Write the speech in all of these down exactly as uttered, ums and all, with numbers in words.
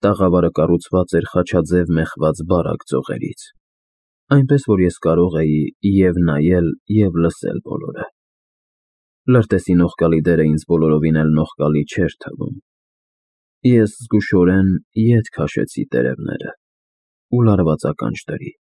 Տաղավարը կառուցված էր խաչաձև մեխված բարակ ձողերից, այնպես, որ ես կարող էի և՛ նայել, և՛ լսել բոլորը։ Լրտեսի նողկալի դերը ինձ բոլորովին էլ նողկալի չէր թվում։ Ես զգուշորեն ետ քաշեցի տերևները ու լարված ականջ դրի։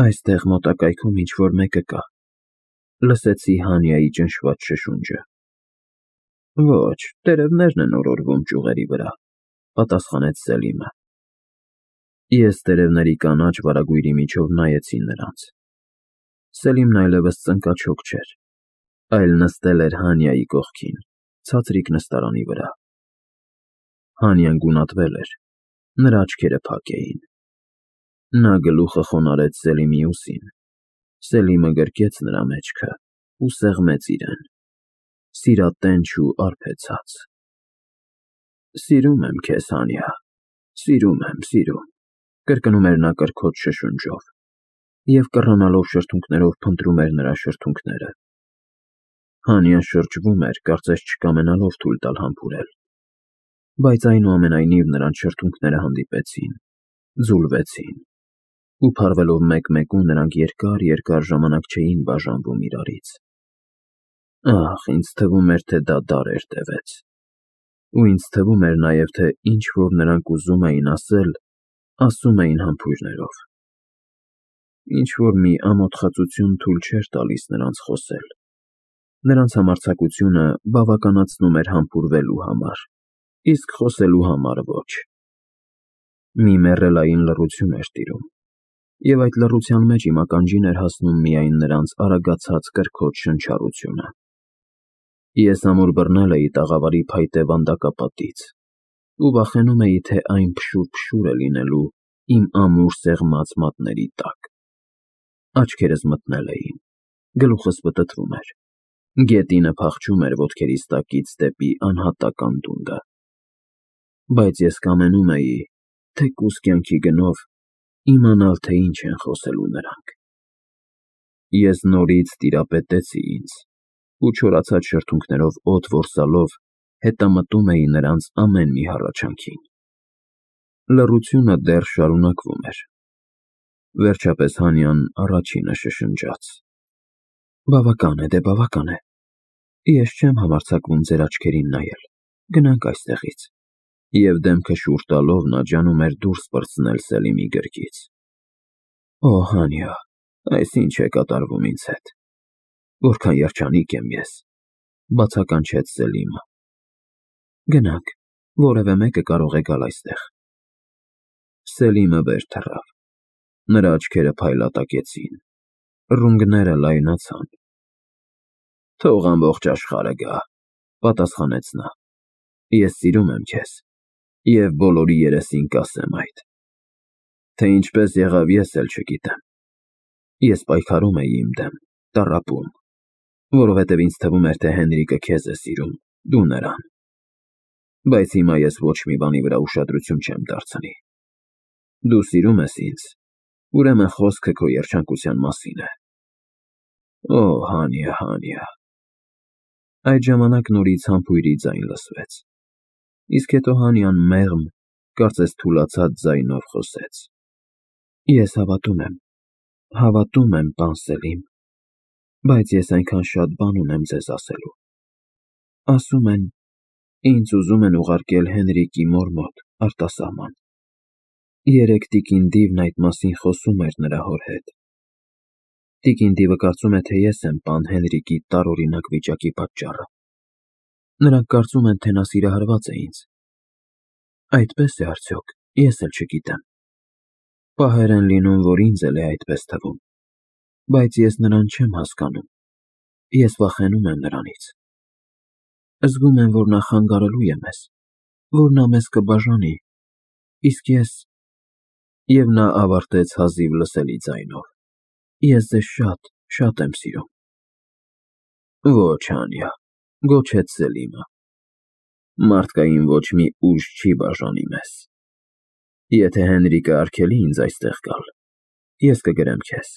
«Այստեղ մոտակայքում ինչ֊որ մեկը կա», լսեցի Հանիայի ճնշված շշունջը։ «Ոչ, տերևներն են օրորվում ճյուղերի վրա», պատասխանեց Սելիմը։ Ես տերևների կանաչ վարագույրի միջով նայեցի նրանց։ Սելիմն այլևս ծնկաչոք չէր, այլ նստել էր Հանիայի կողքին, ցածրիկ նստարանի վրա։ Հանիան գունատվել էր, նրա աչքերը փակ էին։ Նա գլուխը խոնարհեց Սելիմի ուսին, Սելիմը գրկեց նրա մեջքը ու սեղմեց իրեն, սիրատենչ ու արբեցած։ «Սիրում եմ քեզ, Հանիա, սիրում եմ, սիրում», կրկնում էր նա կրքոտ շշունջով և կռանալով շրթունքներով փնտրում էր նրա շրթունքները։ Հանիան շրջվում էր, կարծես չկամենալով թույլ տալ համբուրել, բայց այնուամենայնիվ նրանց շրթունքները հանդիպեցին, ձուլվեցին, ու փարվելով մեկ֊մեկու նրանք երկար֊երկար ժամանակ չէին բաժանվում իրարից։ Ահ, ինձ թվում էր, թե դա դարեր տևեց, ու ինձ թվում էր նաև, թե ինչ֊որ նրանք ուզում էին ասել, ասում էին համբույրներով։ Ինչ֊որ մի ամոթխածություն թույլ չէր տալիս նրանց խոսել։ Նրանց համարձակությունը բավականացնում էր համբուրվելու համար, իսկ խոսելու համար ոչ։ Մի մեռելային լռություն էր տիրում, և այդ լռության մեջ իմ ականջին էր հասնում միայն նրանց արագացած կրքոտ շնչառությունը։ Ես ամուր բռնել էի տաղավարի փայտե վանդակապատից ու վախենում էի, թե այն փշուր֊փշուր է լինելու իմ ամուր սեղմած մատների տակ։ Աչքերս մթնել էին, գլուխս պտտվում էր, գետինը փախչում էր ոտքերիս տակից դեպի անհատական տունդը։ Բայց ես կամենում էի, թեկուզ կյանքի գնով, իմանալ, թե ինչ են խոսելու նրանք։ Ես նորից տիրապետեցի ինձ ու չորացած շրթունքներով օդ որսալով հետամտում էի նրանց ամեն մի հառաչանքին։ Լռությունը դեռ շարունակվում էր։ Վերջապես Հանիան առաջինը շշնջաց. «Բավական է, դե բավական է։ Ես չեմ համարձակվում ձեր աչքերին նայել, գնանք այստեղից»։ Եվ դեմքը շուռ տալով նա ջանում էր դուրս պրծնել Սելիմի գրկից։ «Օ, Հանիա, այս ի՞նչ է կատարվում ինձ հետ։ Որքան երջանիկ եմ ես», բացականչեց Սելիմը։ «Գնանք, որևէ մեկը կարող է գալ այստեղ»։ Սելիմը վեր թռավ։ Նրա աչքերը փայլատակեցին, ռունգները լայնացան։ «Թող ամբողջ աշխարհը գա», պատասխանեց նա։ «Ես սիրում եմ քեզ և բոլորի երեսին կասեմ այդ։ Թե ինչպես եղավ, ես էլ չգիտեմ։ Ես պայքարում էի իմ դեմ, տառապում, որովհետև ինձ թվում էր, թե Հենրիկը քեզ է սիրում, դու նրան։ Բայց հիմա ես ոչ մի բանի վրա ուշադրություն չեմ դարձնի։ Դու սիրում ես ինձ, ուրեմն խոսքը քո երջանկության մասին է։ Օ, Հանիա, Հանիա»։ Այդ ժամանակ նորից համբույրի ձայն լսվեց, իսկ հետո Հանիան մեղմ, կարծես թուլացած ձայնով խոսեց. «Ես հավատում եմ, հավատում եմ, պան Սելիմ, բայց ես այնքան շատ բան ունեմ ձեզ ասելու։ Ասում են, ինձ ուզում են ուղարկել Հենրիկի մոր մոտ, արտասահման։ Երեկ տիկին Դիվն այդ մասին խոսում էր նրա հոր հետ։ Տիկին Դիվը կարծում է, թե ես եմ պան Հենրիկի տարօրինակ վիճակի պատճառը։ Նրանք կարծում են, թե նա սիրահարված է ինձ։ Այդպե՞ս է արդյոք, ես էլ չգիտեմ։ Պահեր են լինում, որ ինձ էլ է այդպես թվում, բայց ես նրան չեմ հասկանում, ես վախենում եմ նրանից։ Զգում եմ, որ նա խանգարելու է մեզ, որ նա մեզ կբաժանի, իսկ ես… Եվ նա ավարտեց հազիվ լսելի ձայնով. «Ես ձեզ շատ, շատ եմ սիրում»։ «Ոչ, Հանիա», գոչեց Սելիմը, «մարդկային ոչ մի ուժ չի բաժանի մեզ։ Եթե Հենրիկը արգելի ինձ այստեղ գալ, ես կգրեմ քեզ։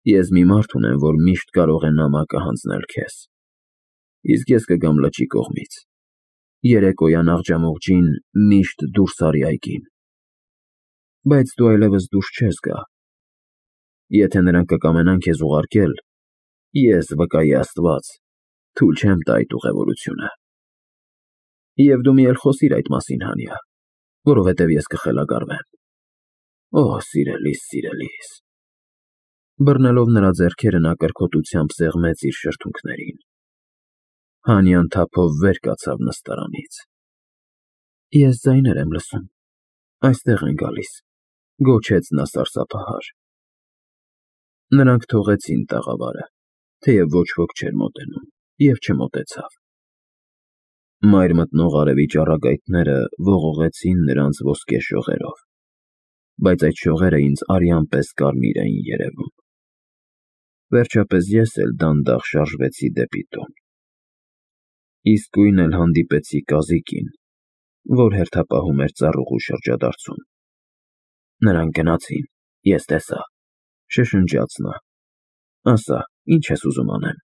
Ես մի մարդ ունեմ, որ միշտ կարող է նամակը հանձնել քեզ, իսկ ես կգամ լճի կողմից։ Երեկոյան աղջամուղջին միշտ դուրս արի այգին։ Բայց դու այլևս դուրս չես գա։ Եթե նրանք կկամենան քեզ ուղարկել, ես, վկայի Աստված, թույլ չեմ տա այդ ուղևորությունը։ Եվ դու մի էլ խոսիր այդ մասին, Հանիա, որովհետև ես կխելագարվեմ։ Օ, սիրելիս, սիրելիս։ Բռնելով նրա ձեռքերը նա կրքոտությամբ սեղմեց իր շրթունքներին։ Հանիան թափով վեր կացավ նստարանից։ Ես ձայներ եմ լսում, այստեղ են գալիս, գոչեց նա սարսափահար։ Նրանք թողեցին տաղավարը, թեև ոչ ոք չէր մոտենում, և չմոտեցավ։ Մայր մտնող արևի ճառագայթները ողողեցին նրանց ոսկե շողերով, բայց այդ շողերը ինձ արյան պես կարմիր էին երևում։ Վերջապես ես էլ դանդաղ շարժվեցի դեպի տուն։ Իսկույն էլ հանդիպեցի կազիկին, որ հերթապահում էր ծառուղու շրջադարձում։ Նրանք գնացին, ես տեսա, շշնջաց նա։ Ասա, ինչ ես ուզում անեմ։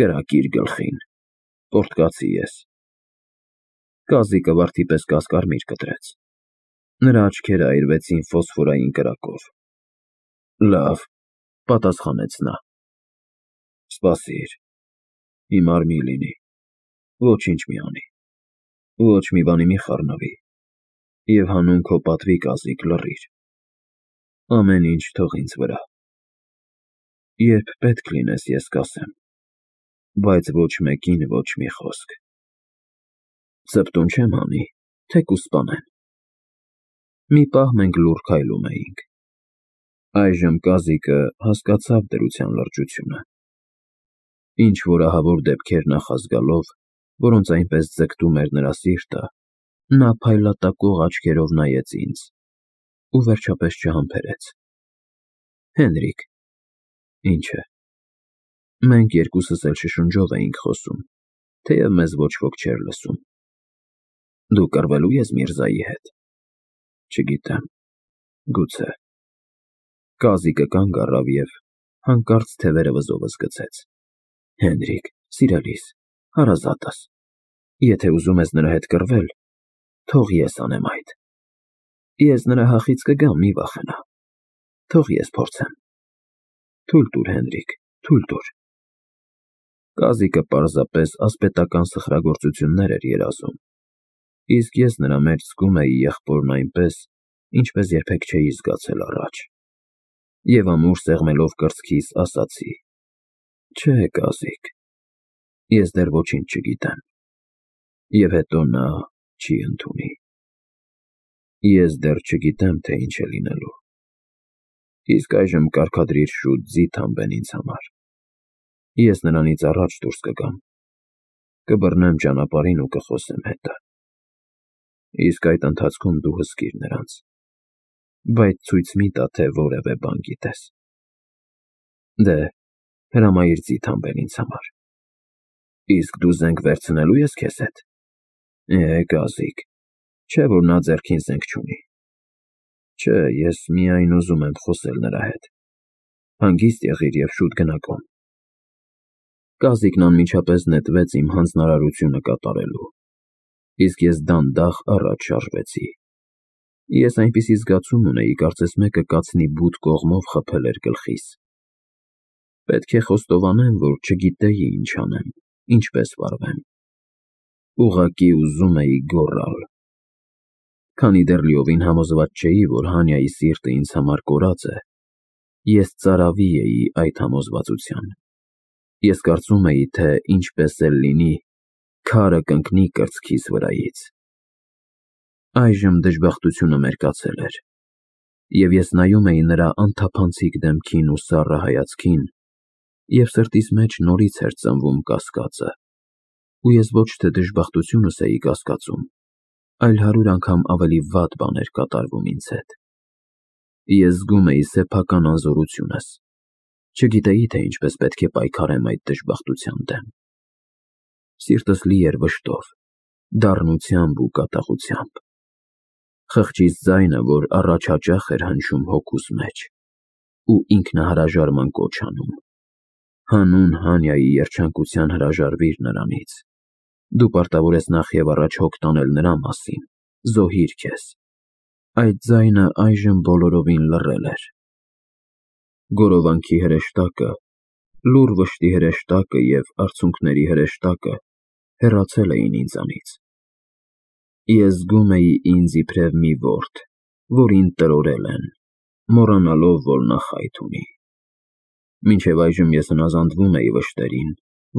Կրակիր գլխին, պոռթկացի ես։ Կազիկը վարդի պես կասկարմիր կտրեց։ Նրա աչքերը այրվեցին ֆոսֆորային կրակով։ Լավ, պատասխանեց նա։ Սպասիր, հիմար մի լինի, ոչինչ մի անի, ոչ մի բանի մի խառնվի, և հանուն քո պատվի կազիկ լռիր, ամեն ինչ թող ինձ վրա։ Երբ պետք լինես, ես կասեմ, բայց ոչ մեկին ոչ մի խոսք։ Ծպտուն չեմ հանի, թեկուզ սպանեն։ Մի պահ մենք լուռ քայլում էինք։ Այժմ կազիկը հասկացավ դրության լրջությունը։ Ինչ-որ ահավոր դեպքեր նախազգալով, որոնց այնպես ձգտում էր նրա սիրտը, նա փայլատակող աչքերով նայեց ինձ ու վերջապես չհամբերեց։ Հենրիկ։ Ինչ է։ Մենք երկուսս էլ շշնջով էինք խոսում, թեև մեզ ոչ ոք չէր լսում։ Դու կռվելու ես Միրզայի հետ։ Չգիտեմ, գուցե։ Կազիկը կանգ առավ և հանկարծ թևերը վզովս գցեց։ Հենրիկ, սիրելիս, հարազատս, եթե ուզում ես նրա հետ կռվել, թող ես անեմ այդ։ Ես նրա հախից կգամ, մի վախենա։ Թող ես փորձեմ։ Թույլ տուր, Հենրիկ, թույլ տուր։ Կազիկը պարզապես ասպետական սխրագործություններ էր երազում, իսկ ես նրա մեջ զգում էի եղբորն այնպես, ինչպես երբեք չէի զգացել առաջ, և ամուր սեղմելով կրծքիս ասացի. Չէ, կազիկ, ես դեռ ոչինչ չգիտեմ, և հետո նա չի ընդունի։ Ես դեռ չգիտեմ, թե ինչ է լինելու։ Իսկ այժմ կարգադրիր շուտ ձիթ հանբեն ինձ համար։ Ես նրանից առաջ դուրս կգամ, կբռնեմ ճանապարհին ու կխոսեմ հետը։ Իսկ այդ ընթացքում դու հսկիր նրանց, բայց ցույց մի տա, թե որևէ բան գիտես։ Դե, հրամայիր ձիթ հանբեն ինձ համար։ Իսկ դու զենք վերցնելո՞ւ ես քեզ հետ։ Է, կազիկ, չէ՞ որ նա ձեռքին զենք չունի։ Չէ, ես միայն ուզում եմ խոսել նրա հետ։ Հանգիստ եղիր և շուտ գնա կողմ։ Կազիկն անմիջապես նետվեց իմ հանձնարարությունը կատարելու, իսկ ես դանդաղ առաջ շարժվեցի։ Ես այնպիսի զգացում ունեի, կարծես մեկը կացնի բութ կողմով խփել էր գլխիս։ Պետք է խոստովանեմ, որ չգիտեի ինչ անեմ, ինչպես վարվեմ։ Ուղղակի ուզում էի գոռալ։ Քանի դեռ լիովին համոզված չէի, որ Հանիայի սիրտը ինձ համար կորած է, ես ծարավի էի այդ համոզվածության։ Ես կարծում էի, թե ինչպես էլ լինի, քարը կընկնի կրծքիս վրայից։ Այժմ դժբախտությունը մերկացել էր, և ես նայում էի նրա անթափանցիկ դեմքին ու սառը հայացքին, և սրտիս մեջ նորից էր ծնվում կասկածը, ու ես ոչ թե դժբախտությունս էի կասկածում, այլ հարյուր անգամ ավելի վատ բան էր կատարվում ինձ հետ։ Ես զգում էի սեփական անզորությունս, չգիտեի, թե ինչպես պետք է պայքարեմ այդ դժբախտության դեմ։ Սիրտս լի էր վշտով, դառնությամբ ու կատաղությամբ։ Խղճիս ձայնը, որ առաջ հաճախ էր հնչում հոգուս մեջ, ու ինքնահրաժարման կոչ անում. հանուն Հանիայի երջանկության հրաժարվիր նրանից, Դու պարտավոր ես նախ եւ առաջ հոգ տանել նրա մասին, զոհիր քեզ։ Այդ ձայնը այժմ բոլորովին լռել էր։ Գորովանքի հրեշտակը, լուռ վշտի հրեշտակը եւ արցունքների հրեշտակը հեռացել էին ինձանից։ Ես զգում էի ինձ իբրև մի որդի, որին տրորել են, մոռանալով, որ նա խայթ ունի։ Մինչև այժմ ես հնազանդվում էի վշտերին,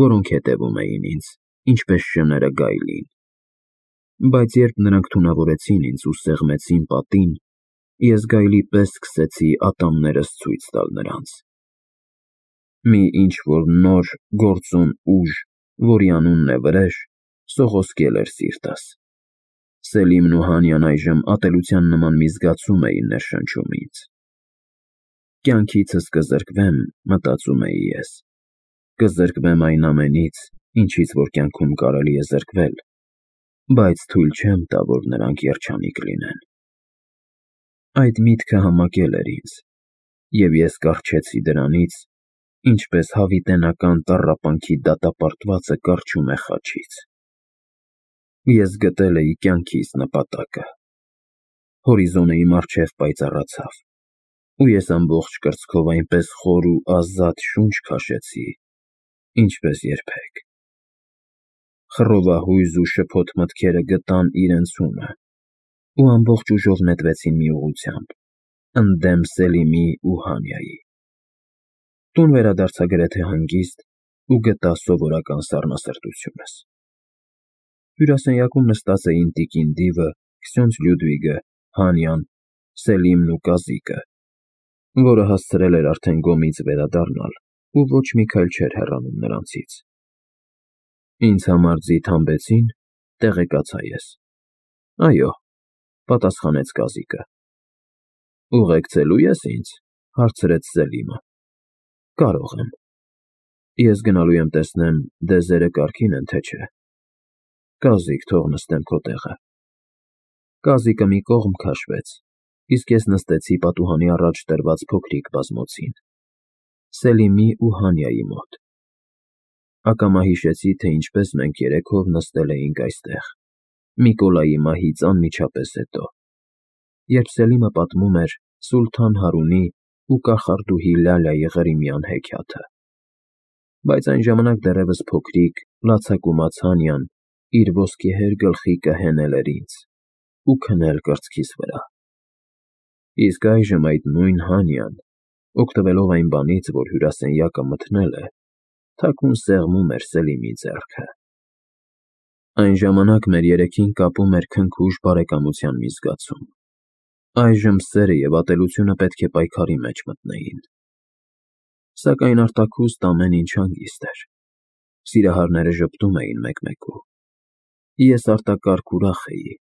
որոնք հետևում էին ինձ, ինչպես շները գայլին։ Բայց երբ նրանք թունավորեցին ինձ ու սեղմեցին պատին, ես գայլի պես սկսեցի ատամներս ցույց տալ նրանց։ Մի ինչ-որ նոր, գործուն ուժ, որի անունն է վրեժ, սողոսկել էր սիրտս։ Սելիմն ու Հանյան այժմ ատելության նման մի զգացում էին ներշնչում ինձ։ Կյանքիցս կզրկվեմ, մտածում էի ես, կզրկվեմ այն ամենից, ինչից որ կյանքում կարելի է զրկվել, բայց թույլ չեմ տա, որ նրանք երջանիկ լինեն։ Այդ միտքը համակել էր ինձ, և ես կառչեցի դրանից, ինչպես հավիտենական տառապանքի դատապարտվածը կառչում է խաչից։ Ես գտել էի կյանքիս նպատակը։ Հորիզոնը իմ առջև պայծառացավ, ու ես ամբողջ կրծքով այնպես խոր ու ազատ շունչ քաշեցի, ինչպես երբեք։ Խռովահույզ ու շփոթ մտքերը գտան իրենց հունը ու ամբողջ ուժով նետվեցին մի ուղղությամբ, ընդդեմ Սելիմի ու Հանյայի։ Տուն վերադարձա գրեթե հանգիստ ու գտա սովորական սառնասրտությունս։ Հյուրասենյակում նստած էին տիկին Դիվը, Քսյոնց Լյուդվիգը, Հանյան, Սելիմն ու Կազիկը, որը հասցրել էր արդեն գոմից վերադառնալ ու ոչ մի քայլ չէր հեռանում նրանցից։ Ինձ համար ձիթ հանբեցի՞ն, տեղեկացա ես։ Այո, պատասխանեց Կազիկը։ Ուղեկցելու ես ինձ, հարցրեց Սելիմը։ Կարող եմ։ Ես գնալու եմ տեսնեմ դեզերը կարգին են, թե չէ։ Կազիկ, թող նստեմ քո տեղը։ Կազիկը մի կողմ քաշվեց, իսկ ես նստեցի պատուհանի առաջ դրված փոքրիկ բազմոցին, Սելիմի ու Հանյայի մոտ։ Ակամա հիշեցի, թե ինչպես մենք երեքով նստել էինք այստեղ, Միկոլայի մահից անմիջապես հետո, երբ Սելիմը պատմում էր Սուլթան Հարունի ու կախարդուհի Լալայի Ղրիմյան հեքիաթը։ Բայց այն ժամանակ դեռևս փոքրիկ, լացակումած Հանյան իր ոսկեհեր գլխիկը հենել էր ինձ ու քնել կրծքիս վրա։ Իսկ այժմ այդ նույն Հանյան, օգտվելով այն բանից, որ հյուրասենյակը մթնել է, թաքուն սեղմում էր Սելիմի ձեռքը։ Այն ժամանակ մեր երեքին կապում էր քնքուշ բարեկամության մի զգացում։ Այժմ սերը և ատելությունը պետք է պայքարի մեջ մտնեին։ Սակայն արտաքուստ ամեն ինչ հանգիստ էր։ Սիրահարները ժպտում էին մեկ֊մեկու։ Ես արտակարգ ուրախ էի,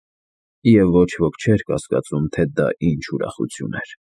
և ոչ ոք չէր կասկածում, թե դա ինչ ուրախություն էր։